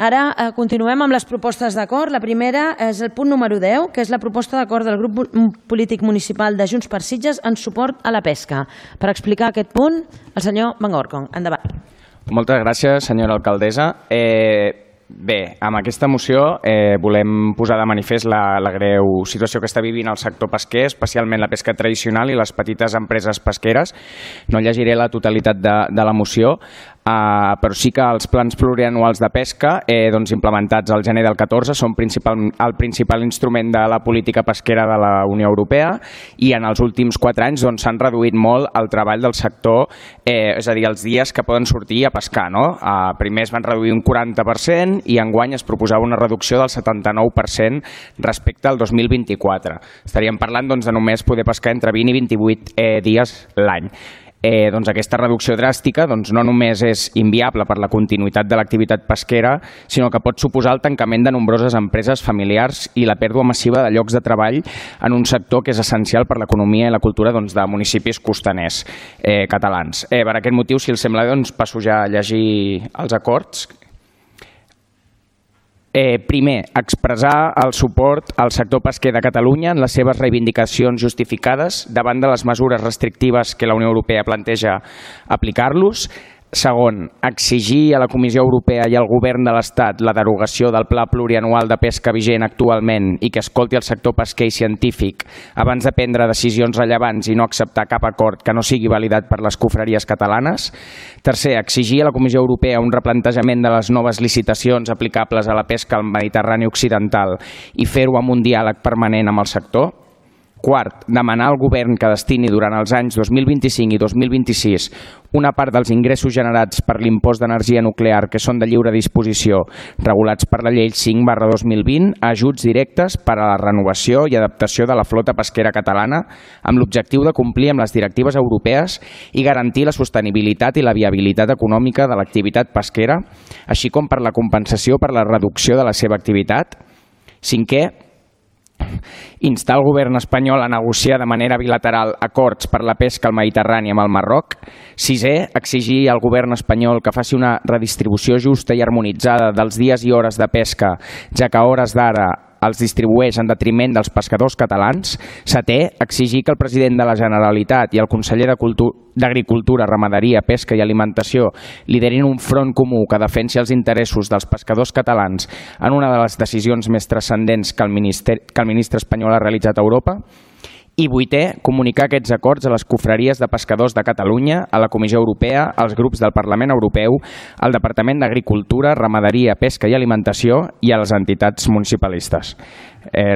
Ara continuem amb les propostes d'acord. La primera és el punt número 10, que és la proposta d'acord del grup polític municipal de Junts per Sitges en suport a la pesca. Per explicar aquest punt, el senyor Van Orcon. Endavant. Moltes gràcies, senyora alcaldessa. Bé, amb aquesta moció volem posar de manifest la greu situació que està vivint el sector pesquer, especialment la pesca tradicional i les petites empreses pesqueres. No llegiré la totalitat de la moció, però sí que els plans plurianuals de pesca implementats al gener del 14 són el principal instrument de la política pesquera de la Unió Europea i en els últims 4 anys s'han reduït molt el treball del sector, és a dir, els dies que poden sortir a pescar. Primer es van reduir un 40% i enguany es proposava una reducció del 79% respecte al 2024. Estaríem parlant de només poder pescar entre 20 i 28 dies l'any. Aquesta reducció dràstica no només és inviable per la continuïtat de l'activitat pesquera, sinó que pot suposar el tancament de nombroses empreses familiars i la pèrdua massiva de llocs de treball en un sector que és essencial per l'economia i la cultura de municipis costaners catalans. Per aquest motiu, si els sembla, passo ja a llegir els acords. Primer, expressar el suport al sector pesquer de Catalunya en les seves reivindicacions justificades davant de les mesures restrictives que la Unió Europea planteja aplicar-los. Segon, exigir a la Comissió Europea i al Govern de l'Estat la derogació del Pla Plurianual de Pesca vigent actualment i que escolti el sector pesquer i científic abans de prendre decisions rellevants i no acceptar cap acord que no sigui validat per les confraries catalanes. Tercer, exigir a la Comissió Europea un replantejament de les noves licitacions aplicables a la pesca al Mediterrani Occidental i fer-ho amb un diàleg permanent amb el sector. Quart, demanar al govern que destini durant els anys 2025 i 2026 una part dels ingressos generats per l'impost d'energia nuclear que són de lliure disposició regulats per la llei 5/2020 a ajuts directes per a la renovació i adaptació de la flota pesquera catalana amb l'objectiu de complir amb les directives europees i garantir la sostenibilitat i la viabilitat econòmica de l'activitat pesquera, així com per la compensació per la reducció de la seva activitat. Cinquè, instar el govern espanyol a negociar de manera bilateral acords per la pesca al Mediterrani amb el Marroc. Sisè, exigir al govern espanyol que faci una redistribució justa i harmonitzada dels dies i hores de pesca, ja que a hores d'ara els distribueix en detriment dels pescadors catalans. Setè, exigir que el president de la Generalitat i el conseller d'Agricultura, Ramaderia, Pesca i Alimentació liderin un front comú que defensi els interessos dels pescadors catalans en una de les decisions més transcendents que el ministre espanyol ha realitzat a Europa. I vuitè, comunicar aquests acords a les confraries de pescadors de Catalunya, a la Comissió Europea, als grups del Parlament Europeu, al Departament d'Agricultura, Ramaderia, Pesca i Alimentació i a les entitats municipalistes.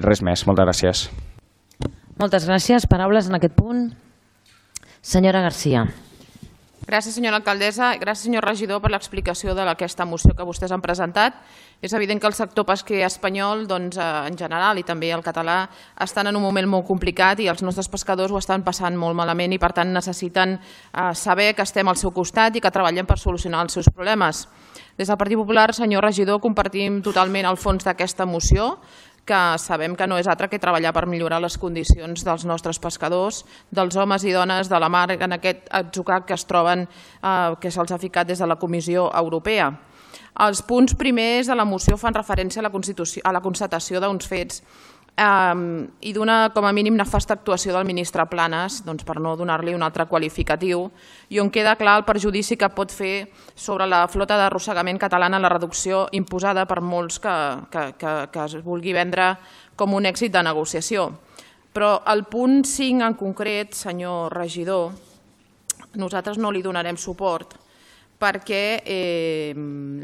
Res més. Moltes gràcies. Moltes gràcies. Paraules en aquest punt. Senyora Garcia. Gràcies, senyora alcaldessa. Gràcies, senyor regidor, per l'explicació d'aquesta moció que vostès han presentat. És evident que el sector pesquer espanyol, en general, i també el català, estan en un moment molt complicat i els nostres pescadors ho estan passant molt malament i, per tant, necessiten saber que estem al seu costat i que treballem per solucionar els seus problemes. Des del Partit Popular, senyor regidor, compartim totalment el fons d'aquesta moció, que sabem que no és altre que treballar per millorar les condicions dels nostres pescadors, dels homes i dones de la mar en aquest atzucac que es troben, que se'ls ha ficat des de la Comissió Europea. Els punts primers de la moció fan referència a la constatació d'uns fets i d'una, com a mínim, nefasta actuació del ministre Planas, per no donar-li un altre qualificatiu, i on queda clar el perjudici que pot fer sobre la flota d'arrossegament catalana la reducció imposada per molts que es vulgui vendre com un èxit de negociació. Però al punt 5 en concret, senyor regidor, nosaltres no li donarem suport perquè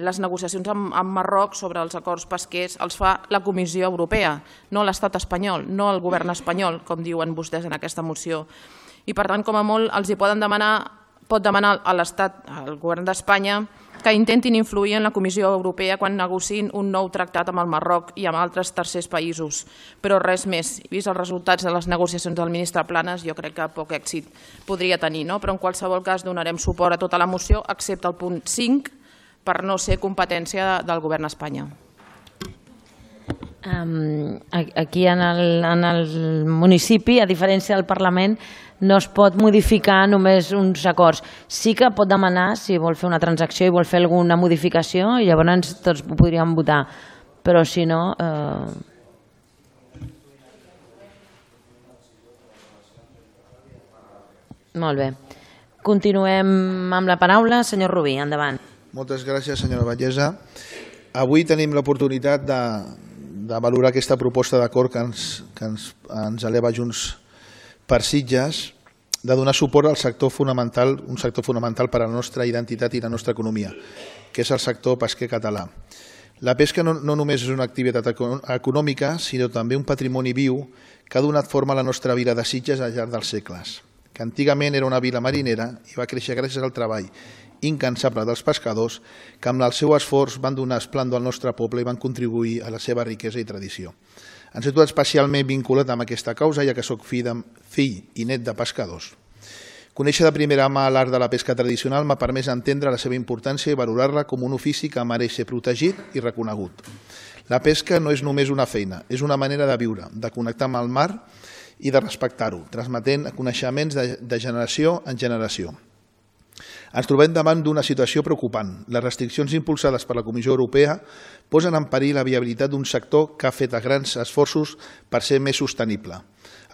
les negociacions amb Marroc sobre els acords pesquers els fa la Comissió Europea, no l'estat espanyol, no el govern espanyol, com diuen vostès en aquesta moció. I per tant, com a molt, els hi pot demanar a l'Estat, al govern d'Espanya, que intentin influir en la Comissió Europea quan negociïn un nou tractat amb el Marroc i amb altres tercers països. Però res més. Vist els resultats de les negociacions del ministre Planas, jo crec que poc èxit podria tenir. Però en qualsevol cas donarem suport a tota la moció, excepte el punt 5, per no ser competència del govern d'Espanya. Aquí en el municipi, a diferència del Parlament, no es pot modificar només uns acords. Sí que pot demanar, si vol fer una transacció i vol fer alguna modificació, i llavors tots ho podríem votar. Però si no... Molt bé. Continuem amb la paraula. Senyor Rubí, endavant. Moltes gràcies, senyora Vallesa. Avui tenim l'oportunitat de valorar aquesta proposta d'acord que ens eleva Junts per Sitges, de donar suport al sector fonamental, un sector fonamental per a la nostra identitat i la nostra economia, que és el sector pesquer català. La pesca no només és una activitat econòmica, sinó també un patrimoni viu que ha donat forma a la nostra vila de Sitges al llarg dels segles, que antigament era una vila marinera i va créixer gràcies al treball incansable dels pescadors que amb el seu esforç van donar esplendor al nostre poble i van contribuir a la seva riquesa i tradició. Em sento especialment vinculat amb aquesta causa, ja que soc fill i net de pescadors. Conèixer de primera mà l'art de la pesca tradicional m'ha permès entendre la seva importància i valorar-la com un ofici que mereix ser protegit i reconegut. La pesca no és només una feina, és una manera de viure, de connectar amb el mar i de respectar-ho, transmetent coneixements de generació en generació. Ens trobem davant d'una situació preocupant. Les restriccions impulsades per la Comissió Europea posen en perill la viabilitat d'un sector que ha fet grans esforços per ser més sostenible.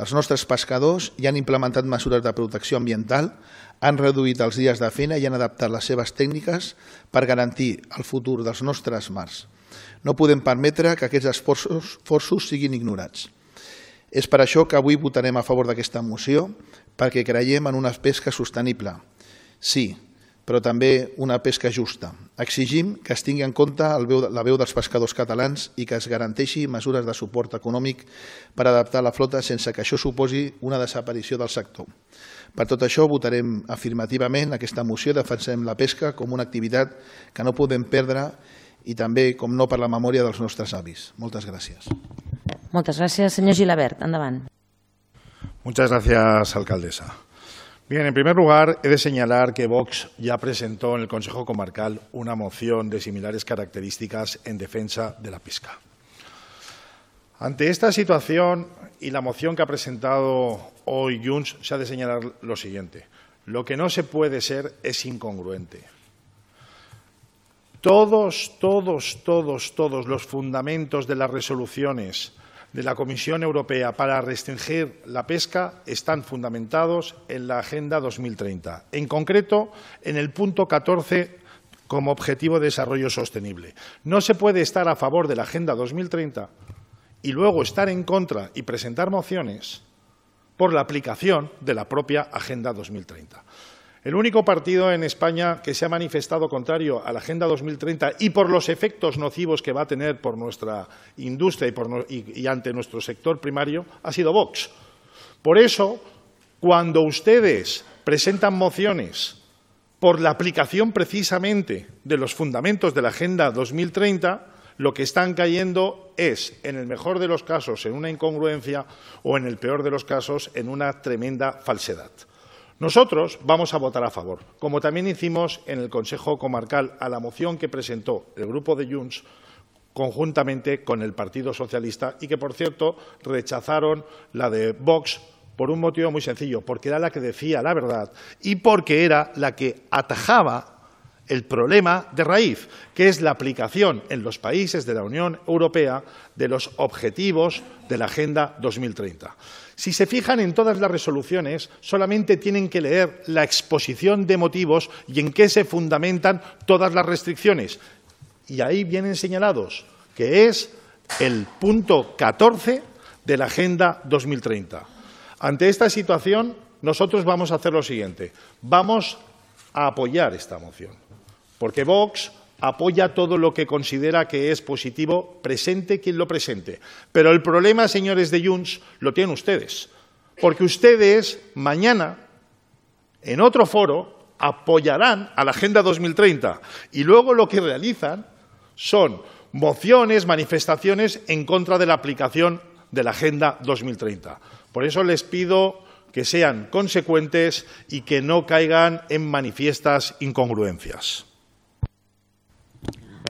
Els nostres pescadors ja han implementat mesures de protecció ambiental, han reduït els dies de feina i han adaptat les seves tècniques per garantir el futur dels nostres mars. No podem permetre que aquests esforços siguin ignorats. És per això que avui votarem a favor d'aquesta moció, perquè creiem en una pesca sostenible. Sí, però també una pesca justa. Exigim que es tingui en compte la veu dels pescadors catalans i que es garanteixi mesures de suport econòmic per adaptar la flota sense que això suposi una desaparició del sector. Per tot això votarem afirmativament aquesta moció i defensem la pesca com una activitat que no podem perdre i també, com no, per la memòria dels nostres avis. Moltes gràcies. Moltes gràcies. Senyor Gilabert, endavant. Muchas gracias, alcaldesa. Bien, en primer lugar, he de señalar que Vox ya presentó en el Consejo Comarcal una moción de similares características en defensa de la pesca. Ante esta situación y la moción que ha presentado hoy Junts, se ha de señalar lo siguiente. Lo que no se puede ser es incongruente. Todos los fundamentos de las resoluciones de la Comisión Europea para restringir la pesca están fundamentados en la Agenda 2030, en concreto en el punto 14 como objetivo de desarrollo sostenible. No se puede estar a favor de la Agenda 2030 y luego estar en contra y presentar mociones por la aplicación de la propia Agenda 2030. El único partido en España que se ha manifestado contrario a la Agenda 2030 y por los efectos nocivos que va a tener por nuestra industria y ante nuestro sector primario ha sido Vox. Por eso, cuando ustedes presentan mociones por la aplicación precisamente de los fundamentos de la Agenda 2030, lo que están cayendo es, en el mejor de los casos, en una incongruencia o, en el peor de los casos, en una tremenda falsedad. Nosotros vamos a votar a favor, como también hicimos en el Consejo Comarcal a la moción que presentó el Grupo de Junts conjuntamente con el Partido Socialista y que, por cierto, rechazaron la de Vox por un motivo muy sencillo, porque era la que decía la verdad y porque era la que atajaba el problema de raíz, que es la aplicación en los países de la Unión Europea de los objetivos de la Agenda 2030. Si se fijan en todas las resoluciones, solamente tienen que leer la exposición de motivos y en qué se fundamentan todas las restricciones. Y ahí vienen señalados, que es el punto 14 de la Agenda 2030. Ante esta situación, nosotros vamos a hacer lo siguiente. Vamos a apoyar esta moción, porque Vox apoya todo lo que considera que es positivo, presente quien lo presente. Pero el problema, señores de Junts, lo tienen ustedes, porque ustedes mañana, en otro foro, apoyarán a la Agenda 2030 y luego lo que realizan son mociones, manifestaciones en contra de la aplicación de la Agenda 2030. Por eso les pido que sean consecuentes y que no caigan en manifiestas incongruencias.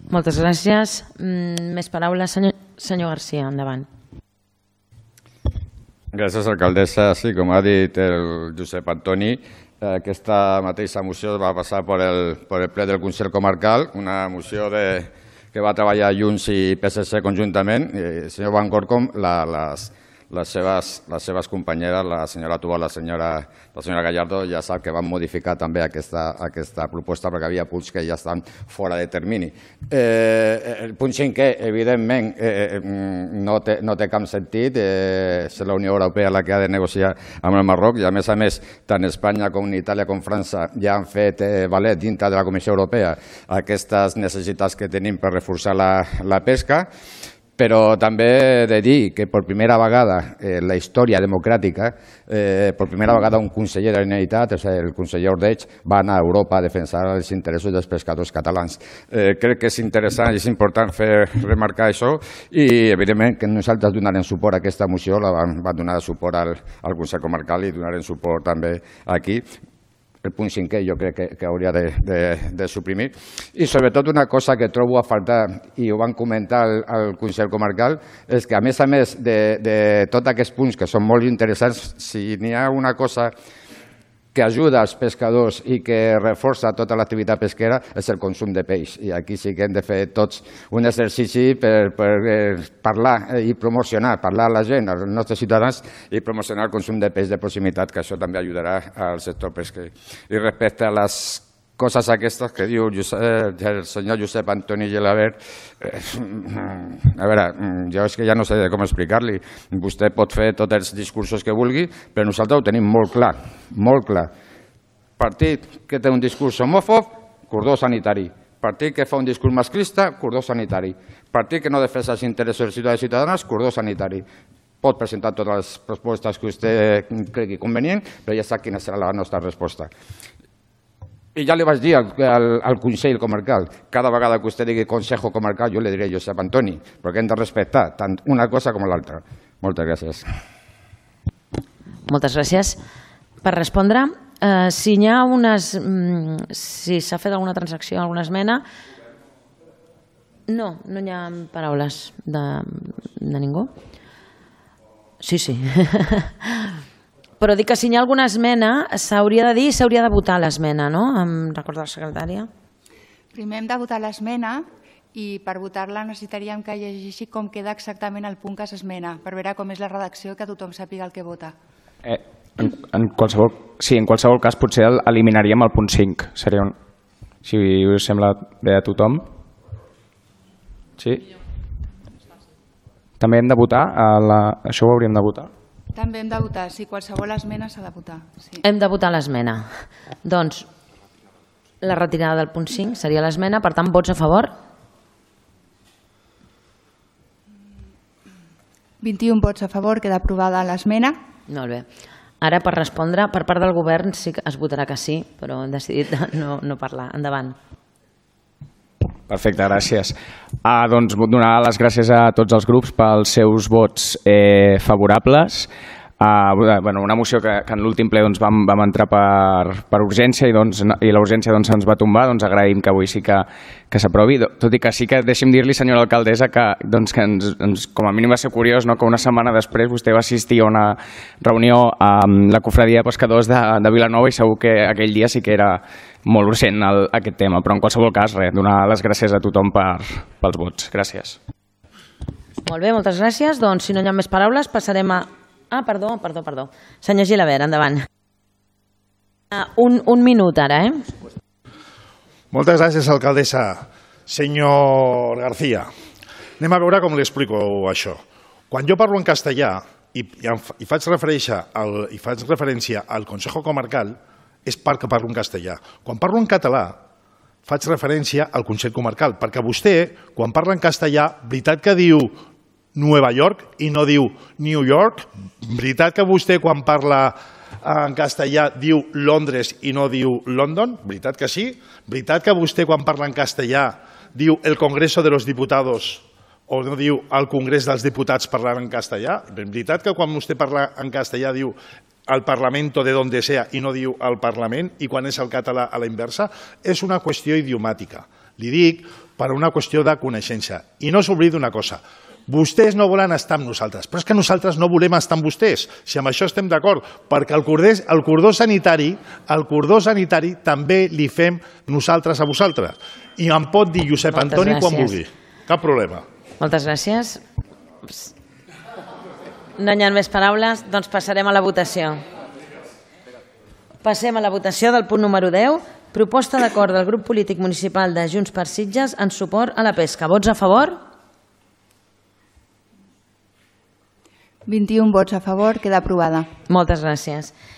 Moltes gràcies. Més paraules, senyor García, endavant. Gràcies, alcaldessa. Sí, com ha dit el Josep Antoni, aquesta mateixa moció va passar per el ple del Consell Comarcal, una moció que va treballar Junts i PSC conjuntament. El senyor Van Corcom, les seves companyeres, la senyora Tubal, la senyora Gallardo, ja sap que van modificar també aquesta proposta perquè havia punts que ja estan fora de termini. El punt 5è, evidentment, no té cap sentit. És la Unió Europea la que ha de negociar amb el Marroc i, a més, tant Espanya com Itàlia com França ja han fet valer dintre de la Comissió Europea aquestes necessitats que tenim per reforçar la pesca. Però també he de dir que per primera vegada en la història democràtica, per primera vegada un conseller de la Generalitat, el conseller Ordeig, va anar a Europa a defensar els interessos dels pescadors catalans. Crec que és interessant i és important remarcar això i, evidentment, que nosaltres donarem suport a aquesta moció, la vam donar suport al Consell Comarcal i donarem suport també aquí. El punt 5è jo crec que hauria de suprimir. I sobretot una cosa que trobo a faltar, i ho van comentar al Consell Comarcal, és que a més de tots aquests punts que són molt interessants, si n'hi ha una cosa que ajuda als pescadors i que reforça tota l'activitat pesquera és el consum de peix. I aquí sí que hem de fer tots un exercici per parlar i promocionar, parlar a la gent, als nostres ciutadans, i promocionar el consum de peix de proximitat, que això també ajudarà al sector pesquer. I respecte a les coses aquestes que diu el senyor Josep Antoni Gelabert, a veure, jo és que ja no sé com explicar-li. Vostè pot fer tots els discursos que vulgui, però nosaltres ho tenim molt clar, molt clar. Partit que té un discurs homòfob, cordó sanitari. Partit que fa un discurs masclista, cordó sanitari. Partit que no defensa els interessos dels ciutadans i ciutadanes, cordó sanitari. Pot presentar totes les propostes que vostè cregui convenient, però ja sap quina serà la nostra resposta. I ja li vaig dir al Consell Comarcal, cada vegada que vostè digui Consejo Comarcal, jo li diré Josep Antoni, perquè hem de respectar tant una cosa com l'altra. Moltes gràcies. Moltes gràcies. Per respondre, si n'hi ha si s'ha fet alguna transacció, alguna esmena... No hi ha paraules de ningú? Sí. Però dic que si hi ha alguna esmena s'hauria de dir i s'hauria de votar l'esmena, no? Em recorda la secretària. Primer hem de votar l'esmena i per votar-la necessitaríem que llegeixi com queda exactament el punt que s'esmena, per veure com és la redacció i que tothom sàpiga el que vota. En qualsevol cas potser eliminaríem el punt 5. Si us sembla bé a tothom. Sí? També hem de votar? Això ho hauríem de votar? També hem de votar, sí, qualsevol esmena s'ha de votar. Sí. Hem de votar l'esmena. Doncs la retirada del punt 5 seria l'esmena, per tant, vots a favor? 21 vots a favor, queda aprovada l'esmena. Molt bé. Ara, per respondre, per part del govern sí que es votarà que sí, però hem decidit no parlar. Endavant. Perfecte, gràcies. Doncs vull donar les gràcies a tots els grups pels seus vots favorables. Una moció que en l'últim ple vam entrar per urgència i la urgència se'ns va tombar. Agraïm que avui sí que s'aprovi, tot i que sí que deixi'm dir-li, senyora alcaldessa, que com a mínim va ser curiós que una setmana després vostè va assistir a una reunió amb la Cofradia de Pescadors de Vilanova i segur que aquell dia sí que era molt urgent aquest tema, però en qualsevol cas, donar les gràcies a tothom pels vots. Gràcies. Molt bé, moltes gràcies. Doncs si no hi ha més paraules passarem a... Perdó. Senyor Gilabert, endavant. Un minut ara, Moltes gràcies, alcaldessa. Senyor García, anem a veure com li explico això. Quan jo parlo en castellà i faig referència al Consejo Comarcal, és perquè parlo en castellà. Quan parlo en català, faig referència al Consell Comarcal, perquè vostè, quan parla en castellà, veritat que diu Nueva York i no diu New York? Veritat que vostè, quan parla en castellà, diu Londres i no diu London? Veritat que sí? Veritat que vostè, quan parla en castellà, diu el Congreso de los Diputados o no diu el Congrés dels Diputats parlant en castellà? Veritat que quan vostè parla en castellà diu al Parlamento de donde sea i no diu al Parlament, i quan és el català a la inversa? És una qüestió idiomàtica. Li dic per una qüestió de coneixença. I no s'oblidi una cosa. Vostès no volen estar amb nosaltres, però és que nosaltres no volem estar amb vostès, si amb això estem d'acord, perquè el cordó sanitari també li fem nosaltres a vosaltres. I em pot dir Josep Antoni quan vulgui, cap problema. Moltes gràcies. No hi ha més paraules, doncs passarem a la votació. Passem a la votació del punt número 10, proposta d'acord del grup polític municipal de Junts per Sitges en suport a la pesca. Vots a favor? 21 vots a favor, queda aprovada. Moltes gràcies.